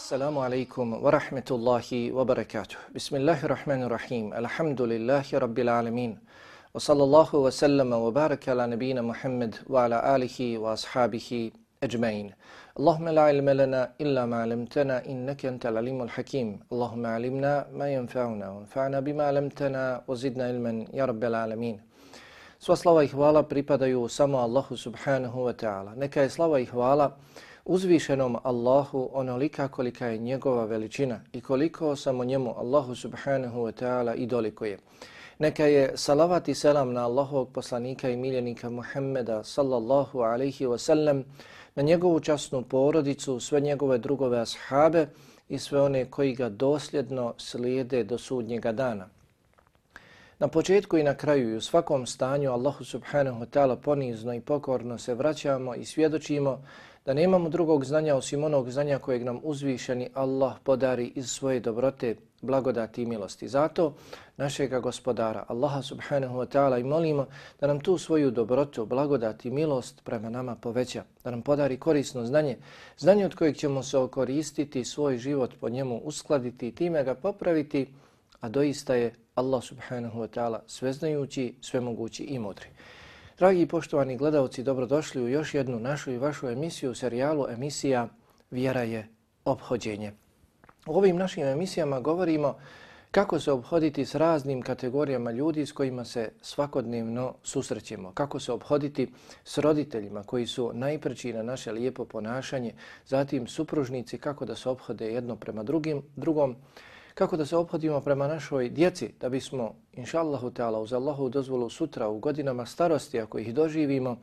Assalamu alaikum wa rahmetullahi wa barakatuh. Bismillahirrahmanirrahim. Alhamdulillahi rabbil alamin. Wa sallallahu wa sallama wa baraka ala nabina Muhammad wa ala alihi wa ashabihi ajma'in. Allahumma la ilma lana illa ma 'allamtana innaka antal alimul hakim. Allahumma 'allimna ma yanfa'una wanfa'na bima 'allamtana wa zidna ilman ya rabbil alamin. Sva slava i hvala pripadaju samo Allahu subhanahu wa ta'ala. Neka je slava i hvala uzvišenom Allahu onolika kolika je njegova veličina i koliko samo njemu Allahu subhanahu wa ta'ala i dolikuje. Neka je salavat i selam na Allahovog poslanika i miljenika Muhammeda sallallahu alaihi wa sallam, na njegovu časnu porodicu, sve njegove drugove ashabe i sve one koji ga dosljedno slijede do sudnjega dana. Na početku i na kraju i u svakom stanju Allahu subhanahu wa ta'ala ponizno i pokorno se vraćamo i svjedočimo da nemamo drugog znanja osim onog znanja kojeg nam uzvišeni Allah podari iz svoje dobrote, blagodati i milosti. Zato našega gospodara Allaha subhanahu wa ta'ala i molimo da nam tu svoju dobrotu, blagodati i milost prema nama poveća, da nam podari korisno znanje, znanje od kojeg ćemo se okoristiti, svoj život po njemu uskladiti i time ga popraviti, a doista je Allah subhanahu wa ta'ala sveznajući, svemogući i mudri. Dragi i poštovani gledalci, dobrodošli u još jednu našu i vašu emisiju, serijalu emisija Vjera je ophođenje. U ovim našim emisijama govorimo kako se ophoditi s raznim kategorijama ljudi s kojima se svakodnevno susrećemo, kako se ophoditi s roditeljima koji su najpreći na naše lijepo ponašanje, zatim supružnici, kako da se ophode jedno prema drugom, kako da se ophodimo prema našoj djeci, da bismo, inša Allahu ta'ala, uz Allahu dozvolu sutra u godinama starosti, ako ih doživimo,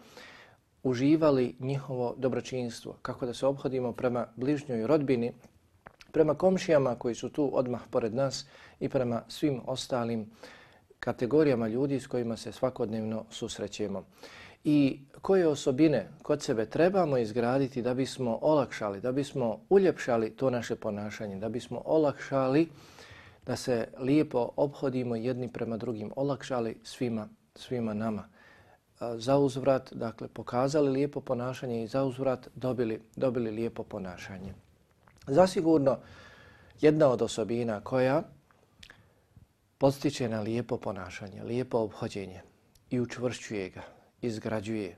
uživali njihovo dobročinstvo, kako da se ophodimo prema bližnjoj rodbini, prema komšijama koji su tu odmah pored nas i prema svim ostalim kategorijama ljudi s kojima se svakodnevno susrećemo. I koje osobine kod sebe trebamo izgraditi da bismo olakšali, da bismo uljepšali to naše ponašanje, da bismo olakšali da se lijepo ophodimo jedni prema drugim, olakšali svima nama. Za uzvrat, dakle, pokazali lijepo ponašanje i za uzvrat dobili lijepo ponašanje. Zasigurno, jedna od osobina koja podstiče na lijepo ponašanje, lijepo ophođenje i učvršćuje ga, izgrađuje,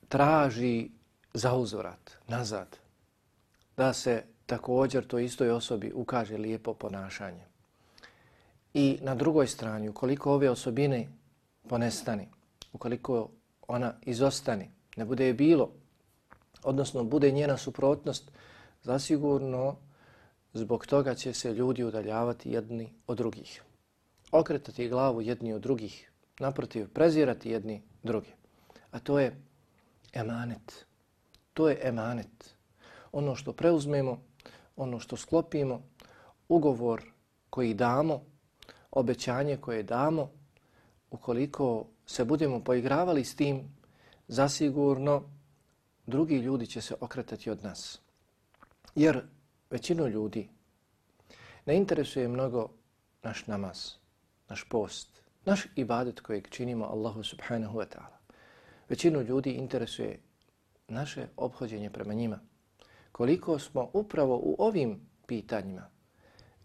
traži zauzvrat, nazad, da se također toj istoj osobi ukaže lijepo ponašanje. I na drugoj strani, ukoliko ove osobine ponestani, ukoliko ona izostani, ne bude je bilo, odnosno bude njena suprotnost, zasigurno zbog toga će se ljudi udaljavati jedni od drugih, okretati glavu jedni od drugih, naprotiv, prezirati jedni drugi. A to je emanet. To je emanet. Ono što preuzmemo, ono što sklopimo, ugovor koji damo, obećanje koje damo, ukoliko se budemo poigravali s tim, zasigurno drugi ljudi će se okretati od nas. Jer većinu ljudi ne interesuje mnogo naš namaz, naš post, naš ibadet kojeg činimo Allahu subhanahu wa ta'ala. Većinu ljudi interesuje naše ophođenje prema njima. Koliko smo upravo u ovim pitanjima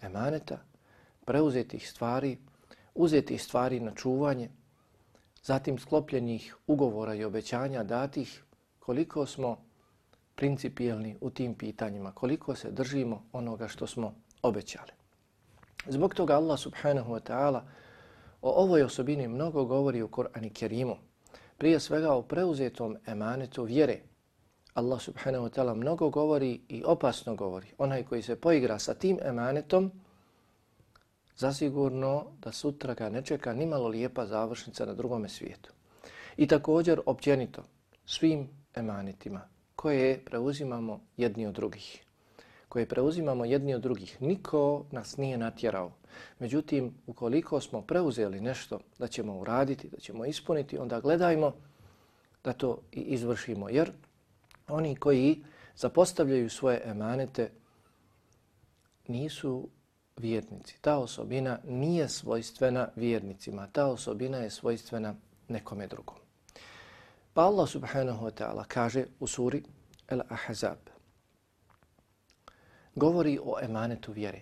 emaneta, preuzetih stvari, uzetih stvari na čuvanje, zatim sklopljenih ugovora i obećanja datih, koliko smo principijelni u tim pitanjima, koliko se držimo onoga što smo obećali. Zbog toga Allah subhanahu wa ta'ala o ovoj osobini mnogo govori u Kur'anu Kerimu. Prije svega o preuzetom emanetu vjere. Allah subhanahu wa ta'ala mnogo govori i opasno govori. Onaj koji se poigra sa tim emanetom, zasigurno da sutra ga ne čeka nimalo lijepa završnica na drugome svijetu. I također općenito svim emanetima koje preuzimamo jedni od drugih. Niko nas nije natjerao. Međutim, ukoliko smo preuzeli nešto da ćemo uraditi, da ćemo ispuniti, onda gledajmo da to i izvršimo. Jer oni koji zapostavljaju svoje emanete nisu vjernici. Ta osobina nije svojstvena vjernicima. Ta osobina je svojstvena nekome drugom. Pa Allah subhanahu wa ta'ala kaže u suri Al-Ahzab: govori o emanetu vjere.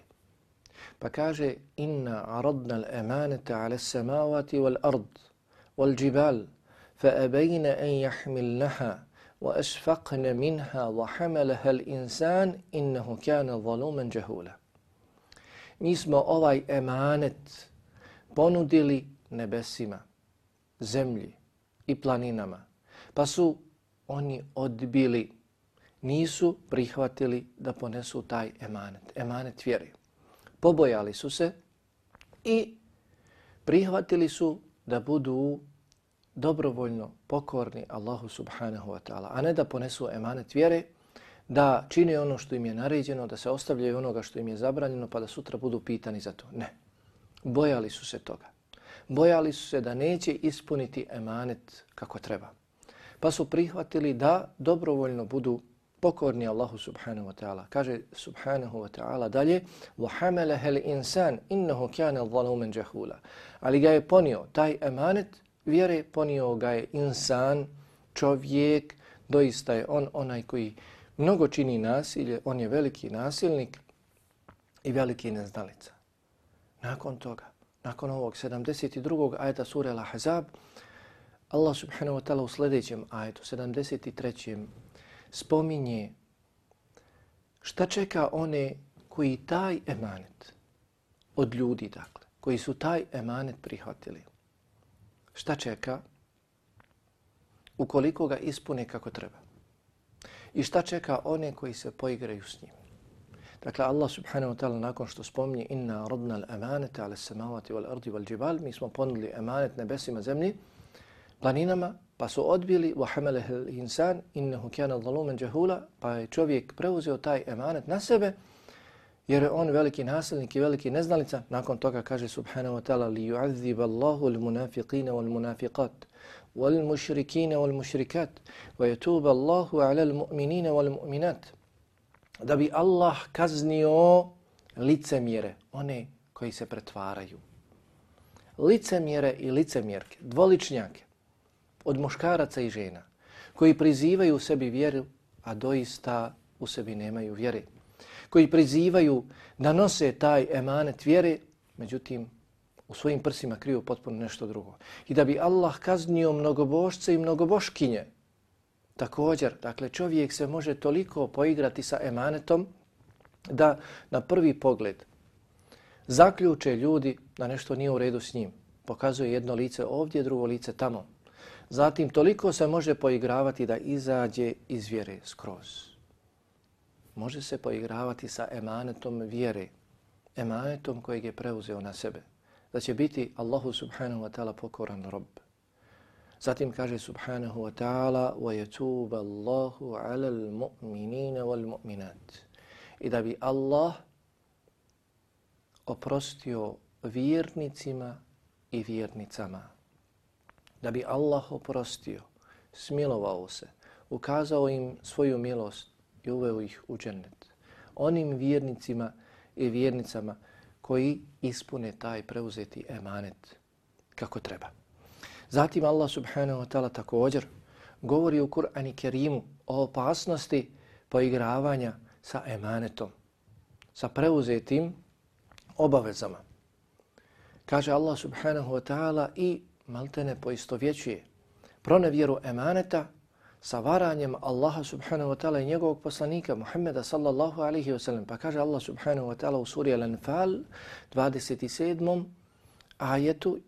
Pa kaže inna aradna al-emanata ala as-samawati wal-ard wal-jibal fa-abayna an yahmilnaha wa ashfaqna minha wa hamalaha al-insan innahu kana zaluman jahula. Mi smo ovaj emanet ponudili nebesima, zemlji i planinama, pa su oni odbili, nisu prihvatili da ponesu taj emanet vjere. Pobojali su se i prihvatili su da budu dobrovoljno pokorni Allahu subhanahu wa ta'ala, a ne da ponesu emanet vjere, da čine ono što im je naređeno, da se ostavljaju onoga što im je zabranjeno, pa da sutra budu pitani za to. Ne. Bojali su se toga. Bojali su se da neće ispuniti emanet kako treba. Pa su prihvatili da dobrovoljno budu pokorni Allahu subhanahu wa ta'ala. Kaže subhanahu wa ta'ala dalje وَحَمَلَهَا الْإِنسَانِ إِنَّهُ كَانَ ظَلُومًا جَهُولًا. Ali ga je ponio, taj emanet vjere ponio ga je insan, čovjek, doista je on onaj koji mnogo čini nasilje, on je veliki nasilnik i veliki neznalica. Nakon toga, nakon ovog 72. ajeta sure Al-Ahzab, Allah subhanahu wa ta'ala u sljedećem ajetu, 73. spominje šta čeka one koji taj emanet od ljudi, dakle, koji su taj emanet prihvatili. Šta čeka ukoliko ga ispune kako treba. I šta čeka one koji se poigraju s njim. Dakle, Allah subhanahu wa ta'ala nakon što spominje inna aradna al-amanata ala as-samawati wal-ardi wal-jibal, mi smo ponudili emanet nebesima, zemlji, planinama, pa su odbili وَحَمَلَهَا الْإِنسَانِ إِنَّهُ كَانَ ظَلُومًا جَهُولًا, pa je čovjek preuzeo taj emanet na sebe, jer je on veliki nasilnik i veliki neznalica. Nakon toga kaže subhanahu wa ta'ala لِيُعَذِّبَ اللَّهُ الْمُنَافِقِينَ وَالْمُنَافِقَاتِ وَالْمُشْرِكِينَ وَالْمُشْرِكَاتِ وَيَتُوبَ اللَّهُ عَلَى الْمُؤْمِنِينَ وَالْمُؤْمِنَاتِ. Da bi Allah kaznio licemjere, one koji se pretvaraju. Licemjere i licemjerke, dvoličnjake, od muškaraca i žena, koji prizivaju u sebi vjeru, a doista u sebi nemaju vjere. Koji prizivaju da nose taj emanet vjere, međutim u svojim prsima kriju potpuno nešto drugo. I da bi Allah kaznio mnogobošce i mnogoboškinje. Također, dakle, čovjek se može toliko poigrati sa emanetom da na prvi pogled zaključe ljudi da nešto nije u redu s njim. Pokazuje jedno lice ovdje, drugo lice tamo. Zatim toliko se može poigravati da izađe iz vjere skroz. Može se poigravati sa emanetom vjere, emanetom kojeg je preuzeo na sebe, da će biti Allahu subhanahu wa ta'ala pokoran rob. Zatim kaže subhanahu wa ta'ala وَيَتُوبَ اللَّهُ عَلَى الْمُؤْمِنِينَ وَالْمُؤْمِنَاتِ. I da bi Allah oprostio vjernicima i vjernicama. Da bi Allah oprostio, smilovao se, ukazao im svoju milost i uveo ih u džennet. Onim vjernicima i vjernicama koji ispune taj preuzeti emanet kako treba. Zatim Allah subhanahu wa ta'ala također govori u Kur'anu Kerimu o opasnosti poigravanja sa emanetom, sa preuzetim obavezama. Kaže Allah subhanahu wa ta'ala i maltene poistovjećuje pronevjeru emaneta sa varanjem Allaha subhanahu wa ta'ala i njegovog poslanika Muhammeda sallallahu alaihi wa sallam. Pa kaže Allah subhanahu wa ta'ala u suri Al-Anfal 27. ajetu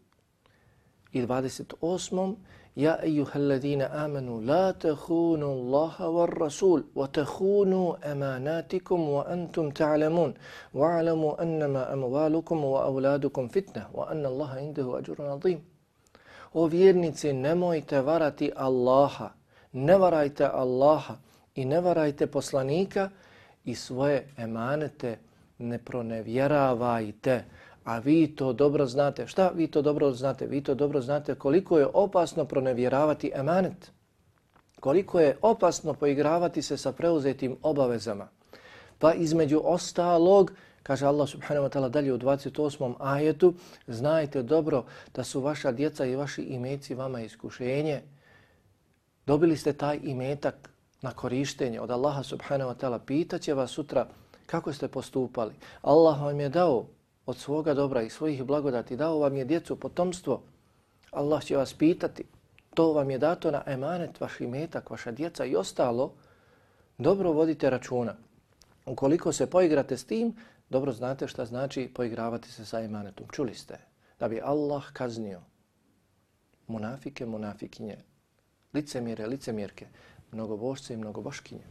i 28. Ja ejuhalladina amanu la tahunu Allaha war rasul wa tahunu emanatikum wa antum ta'lamun wa alamu annama amwalukum wa auladukum fitna wa anna Allaha indahu ajrun azim. O vjernici, nemojte varati Allaha, ne varajte Allaha i ne varajte poslanika i svoje emanete ne pronevjeravajte. A vi to dobro znate. Šta vi to dobro znate? Vi to dobro znate koliko je opasno pronevjeravati emanet. Koliko je opasno poigravati se sa preuzetim obavezama. Pa između ostalog, kaže Allah subhanahu wa ta'ala dalje u 28. ajetu, znajte dobro da su vaša djeca i vaši imeci vama iskušenje. Dobili ste taj imetak na korištenje od Allaha subhanahu wa ta'ala. Pitaće vas sutra kako ste postupali. Allah vam je dao od svoga dobra i svojih blagodati, dao vam je djecu, potomstvo. Allah će vas pitati, to vam je dato na emanet, vaš imetak, vaša djeca i ostalo, dobro vodite računa. Ukoliko se poigrate s tim, dobro znate šta znači poigravati se sa emanetom. Čuli ste da bi Allah kaznio munafike, munafikinje, licemjere, licemjerke, mnogobošce i mnogoboškinje.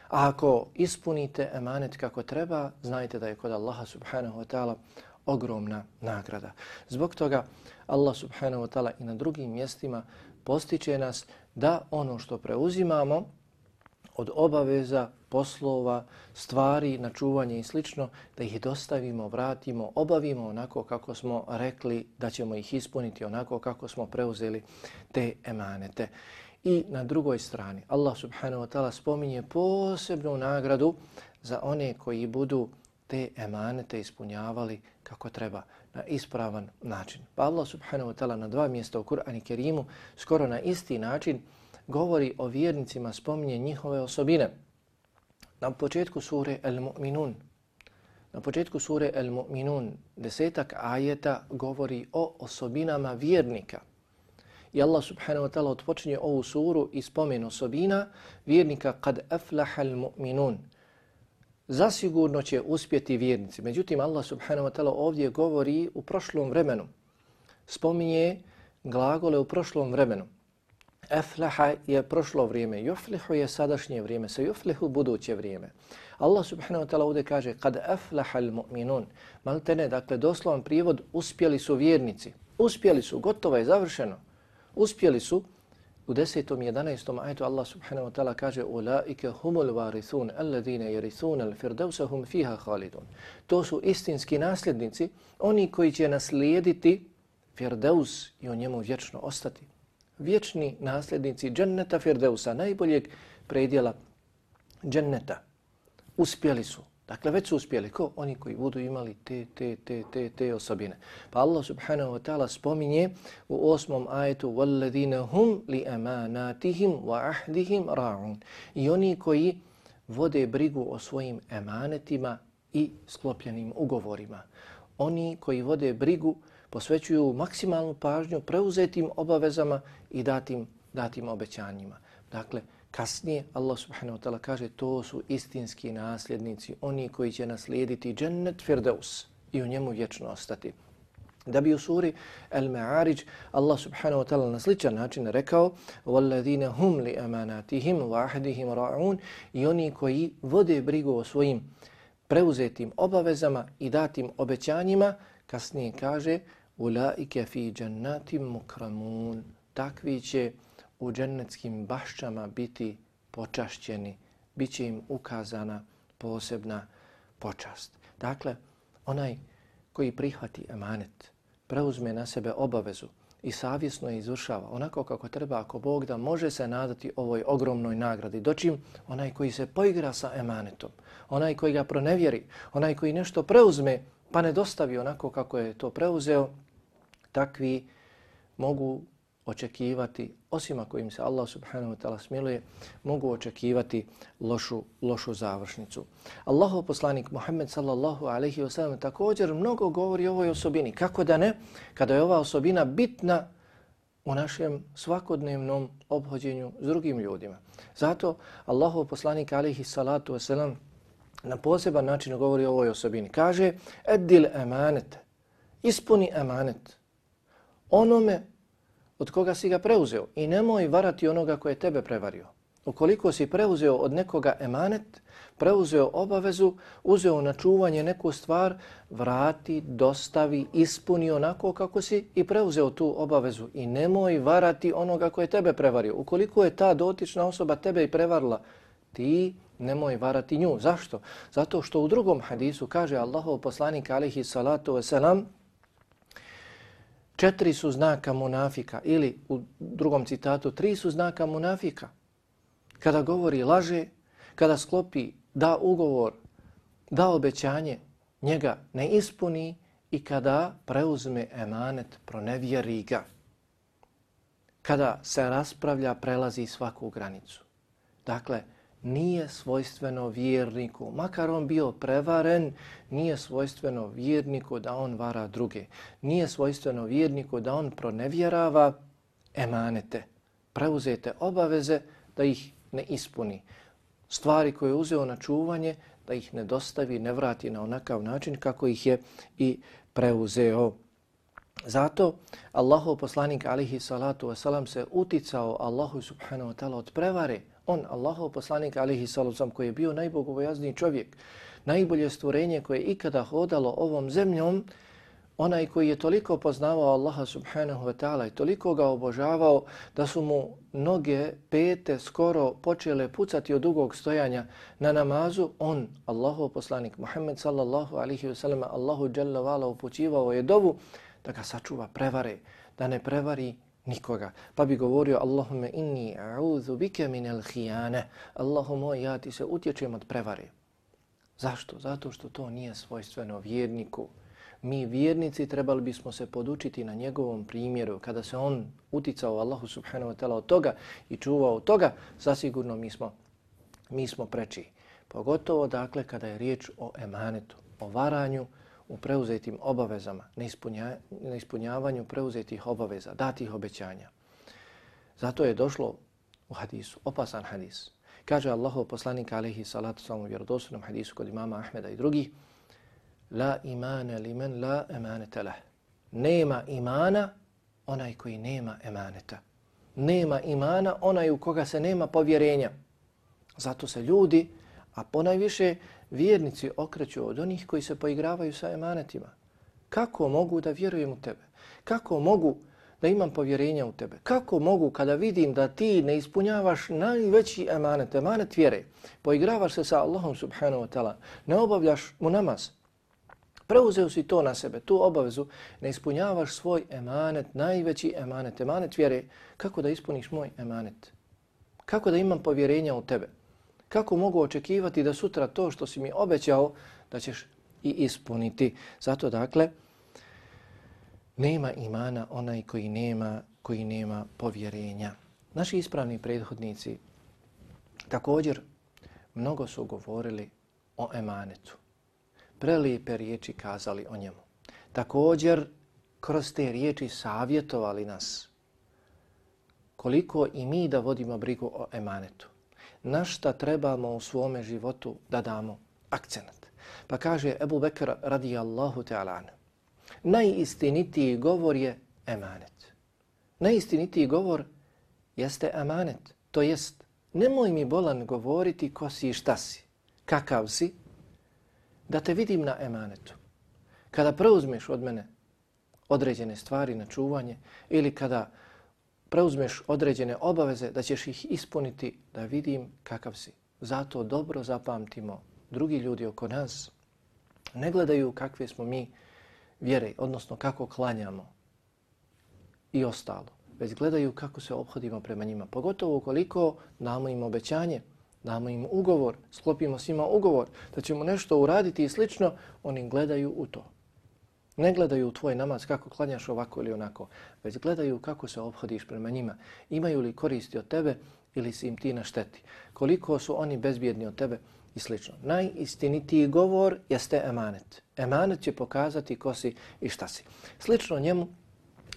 A ako ispunite emanet kako treba, znajte da je kod Allaha subhanahu wa ta'ala ogromna nagrada. Zbog toga Allah subhanahu wa ta'ala i na drugim mjestima postiče nas da ono što preuzimamo od obaveza, poslova, stvari, na čuvanje i slično, da ih dostavimo, vratimo, obavimo onako kako smo rekli da ćemo ih ispuniti, onako kako smo preuzeli te emanete. I na drugoj strani Allah subhanahu wa ta'ala spominje posebnu nagradu za one koji budu te emanete ispunjavali kako treba, na ispravan način. Pa Allah subhanahu wa ta'ala na 2 mjesta u Kur'anu Kerimu skoro na isti način govori o vjernicima, spominje njihove osobine. Na početku sure Al-Mu'minun, na početku sure Al-Mu'minun 10 ajeta govori o osobinama vjernika. I Allah subhanahu wa ta'ala odpočinje ovu suru i spomen osobina vjernika kad aflaha al-mu'minun. Zasigurno će uspjeti vjernici. Međutim, Allah subhanahu wa ta'ala ovdje govori u prošlom vremenu. Spominje glagole u prošlom vremenu. Aflaha je prošlo vrijeme, yuflihu je sadašnje vrijeme, sa yuflihu buduće vrijeme. Allah subhanahu wa ta'ala ovdje kaže kad aflaha al-mu'minun. Maltene, dakle, doslovan prijevod, uspjeli su vjernici. Uspjeli su, gotovo je, završeno. Uspjeli su. U 10. i 11. ajetu Allah subhanahu wa ta'ala kaže ulaike humul varithun alladine yarithun al-firdausa hum fiha khalidun. To su istinski nasljednici, oni koji će naslijediti Firdaus i u njemu vječno ostati. Vječni nasljednici dženneta Firdausa, najboljeg predjela dženneta. Uspjeli su. Dakle, već su uspjeli. Ko? Oni koji budu imali te osobine. Pa Allah subhanahu wa ta'ala spominje u 8. ajetu وَالَّذِينَ هُمْ لِأَمَانَاتِهِمْ وَأَحْدِهِمْ رَاعُونَ. I oni koji vode brigu o svojim emanetima i sklopljenim ugovorima. Oni koji vode brigu, posvećuju maksimalnu pažnju preuzetim obavezama i datim obećanjima. Dakle, kasnije Allah subhanahu wa ta'ala kaže to su istinski nasljednici, oni koji će naslijediti džennet Firdaus i u njemu vječno ostati. Da bi u suri Al-Ma'arij Allah subhanahu wa ta'ala na sličan način rekao وَالَّذِينَ هُمْ لِأَمَانَاتِهِمْ وَأَحْدِهِمْ رَاعُونَ. I oni koji vode brigu o svojim preuzetim obavezama i datim obećanjima, kasnije kaže أُولَٰئِكَ فِي جَنَّاتٍ مُكْرَمُونَ. Takvi će u džennetskim bašćama biti počašćeni, bit će im ukazana posebna počast. Dakle, onaj koji prihvati emanet, preuzme na sebe obavezu i savjesno je izvršava onako kako treba, ako Bog da, može se nadati ovoj ogromnoj nagradi. Dočim onaj koji se poigra sa emanetom, onaj koji ga pronevjeri, onaj koji nešto preuzme pa ne dostavi onako kako je to preuzeo, takvi mogu očekivati, osim ako im se Allah subhanahu wa ta'ala smiluje, mogu očekivati lošu završnicu. Allahov poslanik Muhammed sallallahu alaihi wa sallam također mnogo govori o ovoj osobini. Kako da ne, kada je ova osobina bitna u našem svakodnevnom obhođenju s drugim ljudima. Zato Allahov poslanik alaihi salatu wa sallam na poseban način govori o ovoj osobini. Kaže, eddil emanet, ispuni emanet onome od koga si ga preuzeo i nemoj varati onoga koje je tebe prevario. Ukoliko si preuzeo od nekoga emanet, preuzeo obavezu, uzeo na čuvanje neku stvar, vrati, dostavi, ispuni onako kako si i preuzeo tu obavezu i nemoj varati onoga koje je tebe prevario. Ukoliko je ta dotična osoba tebe i prevarila, ti nemoj varati nju. Zašto? Zato što u drugom hadisu kaže Allahov poslanik alejhi salatu vesselam 4 su znaka munafika ili u drugom citatu 3 su znaka munafika. Kada govori laže, kada sklopi, da ugovor, da obećanje, njega ne ispuni i kada preuzme emanet, pronevjeri ga. Kada se raspravlja, prelazi svaku granicu. Dakle, nije svojstveno vjerniku, makar on bio prevaren, nije svojstveno vjerniku da on vara druge. Nije svojstveno vjerniku da on pronevjerava emanete, preuzete obaveze, da ih ne ispuni. Stvari koje je uzeo na čuvanje, da ih ne dostavi, ne vrati na onakav način kako ih je i preuzeo. Zato Allahov poslanik alihi salatu wasalam se uticao Allahu subhanahu wa ta'ala od prevare. On, Allahov poslanik alihi salatu wasalam, koji je bio najbogobojazniji čovjek, najbolje stvorenje koje je ikada hodalo ovom zemljom, onaj koji je toliko poznavao Allaha subhanahu wa ta'ala i toliko ga obožavao da su mu noge, pete skoro počele pucati od dugog stojanja na namazu, on, Allahov poslanik Muhammed sallallahu alihi wasallam, Allahu jalla vala upućivao je dovu da ga sačuva prevare, da ne prevari nikoga. Pa bi govorio Allahumme inni a'udhu bike minel hijane. Allahu moj, ja ti se utječem od prevare. Zašto? Zato što to nije svojstveno vjerniku. Mi vjernici trebali bismo se podučiti na njegovom primjeru. Kada se on uticao Allahu subhanahu wa ta'ala od toga i čuvao od toga, zasigurno mi smo preči. Pogotovo dakle kada je riječ o emanetu, o varanju, u preuzetim obavezama, neispunjavanju preuzetih obaveza, datih obećanja. Zato je došlo u hadisu, opasan hadis. Kaže Allahov poslanik alejhi salatu vesselam u vjerodostojnom hadisu kod imama Ahmeda i drugih: La imana liman la emaneta lah. Nema imana onaj koji nema emaneta. Nema imana onaj u koga se nema povjerenja. Zato se ljudi, a ponajviše vjernici, okreću od onih koji se poigravaju sa emanetima. Kako mogu da vjerujem u tebe? Kako mogu da imam povjerenja u tebe? Kako mogu kada vidim da ti ne ispunjavaš najveći emanet, emanet vjere, poigravaš se sa Allahom subhanahu wa ta'ala, ne obavljaš mu namaz, preuzeo si to na sebe, tu obavezu, ne ispunjavaš svoj emanet, najveći emanet, emanet vjere, kako da ispuniš moj emanet? Kako da imam povjerenja u tebe? Kako mogu očekivati da sutra to što si mi obećao da ćeš i ispuniti? Zato dakle, nema imana onaj koji nema povjerenja. Naši ispravni prethodnici također mnogo su govorili o emanetu. Prelijepe riječi kazali o njemu. Također kroz te riječi savjetovali nas koliko i mi da vodimo brigu o emanetu. Na šta trebamo u svome životu da damo akcenat. Pa kaže Ebu Bekr radijallahu ta'ala anhu, najistinitiji govor je emanet. Najistinitiji govor jeste emanet. To jest, nemoj mi bolan govoriti ko si i šta si, kakav si, da te vidim na emanetu. Kada preuzmeš od mene određene stvari na čuvanje ili kada preuzmeš određene obaveze da ćeš ih ispuniti, da vidim kakav si. Zato dobro zapamtimo, drugi ljudi oko nas ne gledaju kakve smo mi vjere, odnosno kako klanjamo i ostalo, već gledaju kako se ophodimo prema njima. Pogotovo ukoliko damo im obećanje, damo im ugovor, sklopimo s njima ugovor da ćemo nešto uraditi i slično, oni gledaju u to. Ne gledaju u tvoj namaz kako klanjaš ovako ili onako, već gledaju kako se ophodiš prema njima. Imaju li koristi od tebe ili si im ti na šteti. Koliko su oni bezbjedni od tebe i slično. Najistinitiji govor jeste emanet. Emanet će pokazati ko si i šta si. Slično njemu,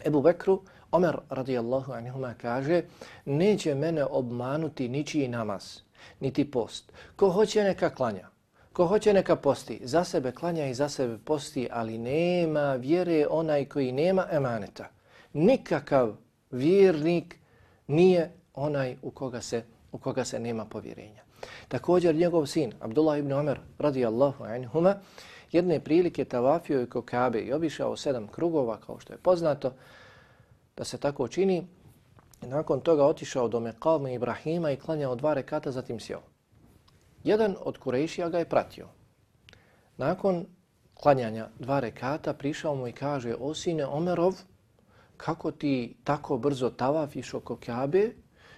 Ebu Bekru, Omer radijallahu anhuma kaže: neće mene obmanuti ničiji namaz, niti post. Ko hoće neka klanja. Ko hoće neka posti, za sebe klanja i za sebe posti, ali nema vjere onaj koji nema emaneta. Nikakav vjernik nije onaj u koga se nema povjerenja. Također njegov sin, Abdullah ibn Omer radijallahu anhuma, jedne prilike tavafio je oko Kabe i obišao 7 krugova, kao što je poznato, da se tako čini. Nakon toga otišao do Mekama Ibrahima i klanjao 2 rekata, zatim sjeo. Jedan od Kurejšija ga je pratio. Nakon klanjanja 2 rekata prišao mu i kaže: o sine Omerov, kako ti tako brzo tavafiš oko Kabe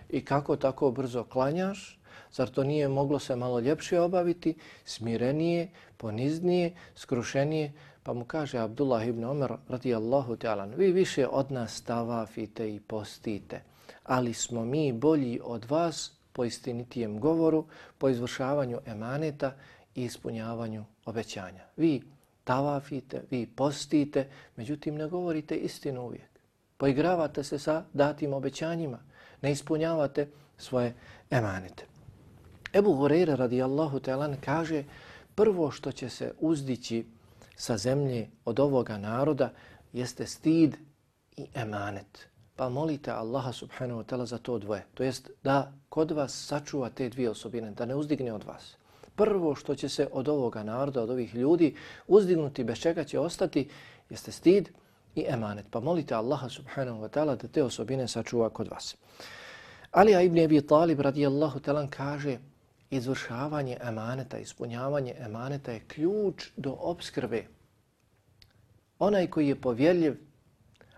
i kako tako brzo klanjaš? Zar to nije moglo se malo ljepše obaviti, smirenije, poniznije, skrušenije? Pa mu kaže Abdullah ibn Omer radijallahu ta'ala: vi više od nas tavafite i postite, ali smo mi bolji od vas po istinitijem govoru, po izvršavanju emaneta i ispunjavanju obećanja. Vi tavafite, vi postite, međutim ne govorite istinu uvijek. Poigravate se sa datim obećanjima, ne ispunjavate svoje emanete. Ebu Hurajra radijallahu ta'ala kaže, prvo što će se uzdići sa zemlje od ovoga naroda jeste stid i emanet. Pa molite Allaha subhanahu wa ta'ala za to dvoje. To jest da kod vas sačuva te dvije osobine, da ne uzdigne od vas. Prvo što će se od ovoga naroda, od ovih ljudi uzdignuti, bez čega će ostati, jeste stid i emanet. Pa molite Allaha subhanahu wa ta'ala da te osobine sačuva kod vas. Alija ibn Abi Talib radijallahu ta'ala kaže, izvršavanje emaneta, ispunjavanje emaneta je ključ do opskrbe. Onaj koji je povjerljiv,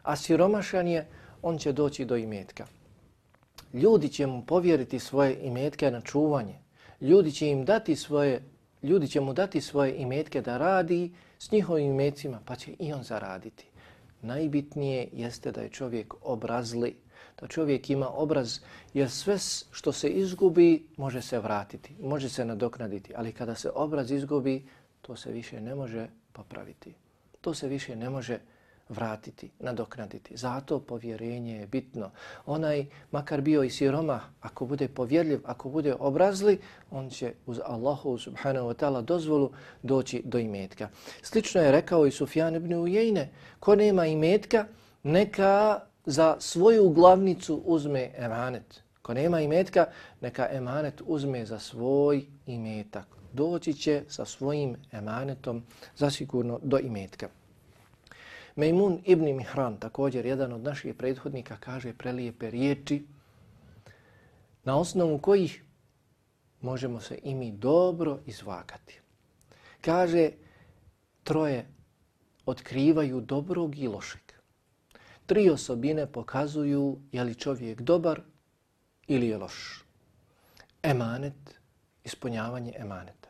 a siromašan je, on će doći do imetka. Ljudi će mu povjeriti svoje imetke na čuvanje. Ljudi će mu dati svoje imetke da radi s njihovim imetcima, pa će i on zaraditi. Najbitnije jeste da je čovjek obrazli, da čovjek ima obraz, jer sve što se izgubi može se vratiti, može se nadoknaditi, ali kada se obraz izgubi, to se više ne može popraviti. To se više ne može vratiti, nadoknaditi. Zato povjerenje je bitno. Onaj, makar bio i siromah, ako bude povjerljiv, ako bude obrazli, on će uz Allahu subhanahu wa ta'ala dozvolu doći do imetka. Slično je rekao i Sufjan ibn Ujejne, ko nema imetka, neka za svoju glavnicu uzme emanet. Ko nema imetka, neka emanet uzme za svoj imetak. Doći će sa svojim emanetom zasigurno do imetka. Mejmun ibn Mihran, također jedan od naših prethodnika, kaže prelijepe riječi na osnovu kojih možemo se i mi dobro izvagati. Kaže, troje otkrivaju dobrog i lošeg. Tri osobine pokazuju je li čovjek dobar ili je loš. Emanet, ispunjavanje emaneta.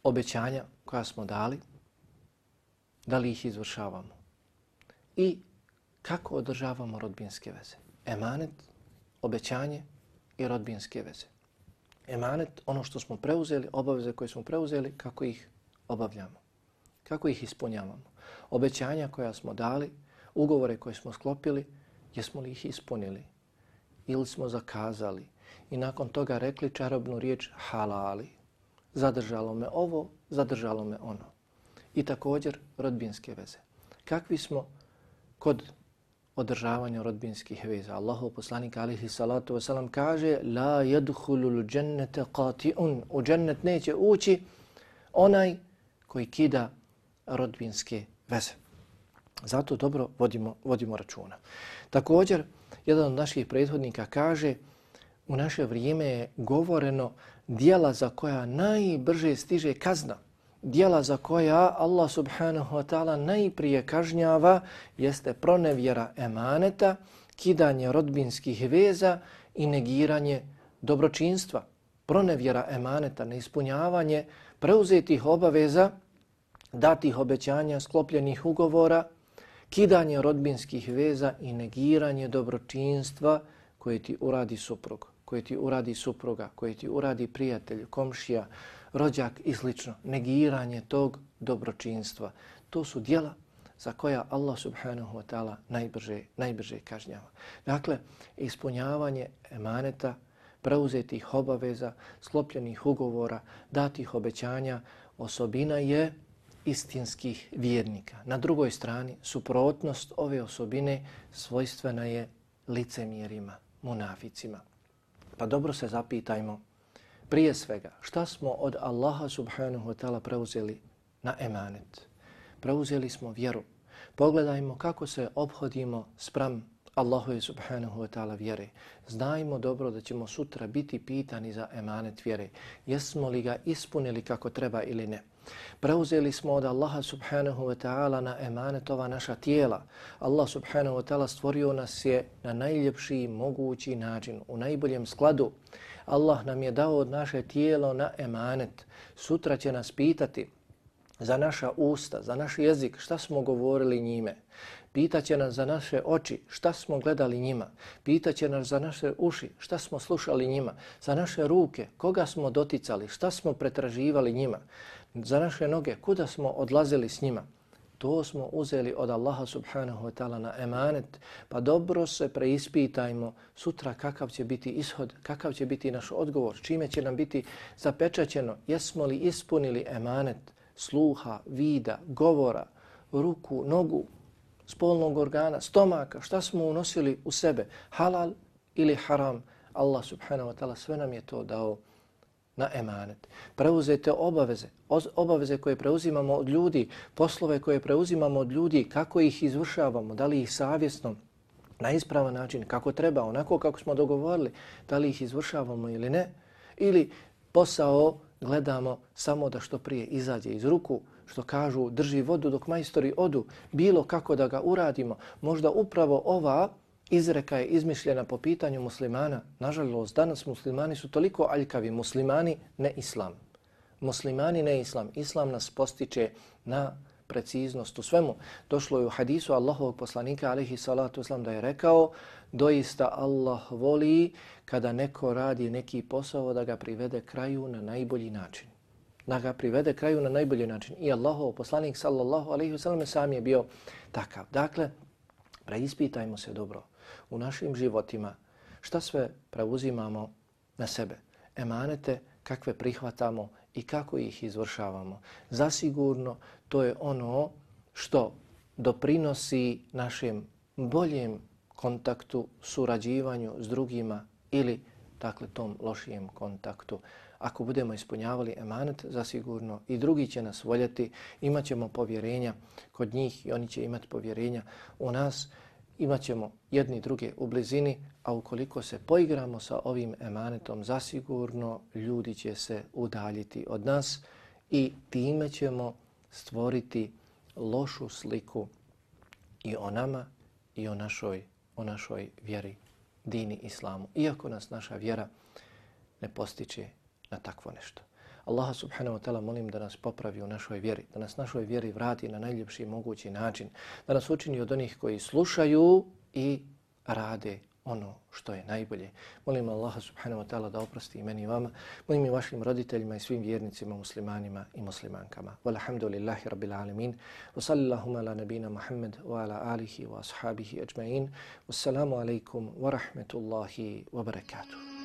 Obećanja koja smo dali, da li ih izvršavamo i kako održavamo rodbinske veze. Emanet, obećanje i rodbinske veze. Emanet, ono što smo preuzeli, obaveze koje smo preuzeli, kako ih obavljamo, kako ih ispunjavamo. Obećanja koja smo dali, ugovore koje smo sklopili, jesmo li ih ispunili ili smo zakazali i nakon toga rekli čarobnu riječ halali. Zadržalo me ovo, zadržalo me ono. I također rodbinske veze. Kakvi smo kod održavanja rodbinskih veza? Allahov poslanik alejhi salatu vesselam kaže la yadkhulul jannata qati'un. U džennet neće ući onaj koji kida rodbinske veze. Zato dobro vodimo računa. Također, jedan od naših prethodnika kaže u naše vrijeme je govoreno djela za koja najbrže stiže kazna. Djela za koja Allah subhanahu wa ta'ala najprije kažnjava jeste pronevjera emaneta, kidanje rodbinskih veza i negiranje dobročinstva. Pronevjera emaneta, neispunjavanje preuzetih obaveza, datih obećanja, sklopljenih ugovora, kidanje rodbinskih veza i negiranje dobročinstva koje ti uradi suprug, koje ti uradi supruga, koje ti uradi prijatelj, komšija, rođak i slično. Negiranje tog dobročinstva. To su djela za koja Allah subhanahu wa ta'ala najbrže kažnjava. Dakle, ispunjavanje emaneta, preuzetih obaveza, sklopljenih ugovora, datih obećanja, osobina je istinskih vjernika. Na drugoj strani, suprotnost ove osobine svojstvena je licemjerima, munaficima. Pa dobro se zapitajmo, prije svega, šta smo od Allaha subhanahu wa ta'ala preuzeli na emanet? Preuzeli smo vjeru. Pogledajmo kako se ophodimo spram Allahu subhanahu wa ta'ala vjere. Znajmo dobro da ćemo sutra biti pitani za emanet vjere. Jesmo li ga ispunili kako treba ili ne? Preuzeli smo od Allaha subhanahu wa ta'ala na emanet ova naša tijela. Allah subhanahu wa ta'ala stvorio nas je na najljepši mogući način, u najboljem skladu. Allah nam je dao od naše tijelo na emanet. Sutra će nas pitati za naša usta, za naš jezik, šta smo govorili njime. Pitaće nas za naše oči, šta smo gledali njima. Pitaće nas za naše uši, šta smo slušali njima. Za naše ruke, koga smo doticali, šta smo pretraživali njima. Za naše noge, kuda smo odlazili s njima. To smo uzeli od Allaha subhanahu wa ta'ala na emanet, pa dobro se preispitajmo sutra kakav će biti ishod, kakav će biti naš odgovor, čime će nam biti zapečaćeno, jesmo li ispunili emanet sluha, vida, govora, ruku, nogu, spolnog organa, stomaka, šta smo unosili u sebe, halal ili haram. Allah subhanahu wa ta'ala sve nam je to dao na emanet. Preuzete obaveze koje preuzimamo od ljudi, poslove koje preuzimamo od ljudi, kako ih izvršavamo, da li ih savjesno, na ispravan način, kako treba, onako kako smo dogovorili, da li ih izvršavamo ili ne, ili posao gledamo samo da što prije izađe iz ruku, što kažu drži vodu dok majstori odu, bilo kako da ga uradimo. Možda upravo ova izreka je izmišljena po pitanju muslimana. Nažalost, danas muslimani su toliko aljkavi, muslimani ne islam. Muslimani ne islam. Islam nas postiče na preciznost u svemu. Došlo je u hadisu Allahovog poslanika alejhi salatu vesselam da je rekao: doista Allah voli kada neko radi neki posao da ga privede kraju na najbolji način. Da ga privede kraju na najbolji način. I Allahov poslanik sallallahu alejhi ve sellem sam je bio takav. Dakle, preispitajmo se dobro u našim životima šta sve preuzimamo na sebe. Emanete kakve prihvatamo i kako ih izvršavamo. Zasigurno to je ono što doprinosi našem boljem kontaktu, surađivanju s drugima ili dakle tom lošijem kontaktu. Ako budemo ispunjavali emanet, zasigurno i drugi će nas voljeti, imat ćemo povjerenja kod njih i oni će imati povjerenja u nas, imat ćemo jedni druge u blizini, a ukoliko se poigramo sa ovim emanetom, zasigurno ljudi će se udaljiti od nas i time ćemo stvoriti lošu sliku i o nama i o našoj vjeri, dini islamu. Iako nas naša vjera ne postiče na takvo nešto. Allaha subhanahu wa ta'ala molim da nas popravi u našoj vjeri, da nas našoj vjeri vrati na najljepši mogući način, da nas učini od onih koji slušaju i rade ono što je najbolje. Molim Allaha subhanahu wa ta'ala da oprosti i meni i vama, molim i vašim roditeljima i svim vjernicima, muslimanima i muslimankama. Walhamdulillahi rabbil alamin. Wa sallallahu ala nabina Muhammad wa ala alihi wa ashabihi ajma'in. Wassalamu alaikum wa rahmetullahi wa barakatuh.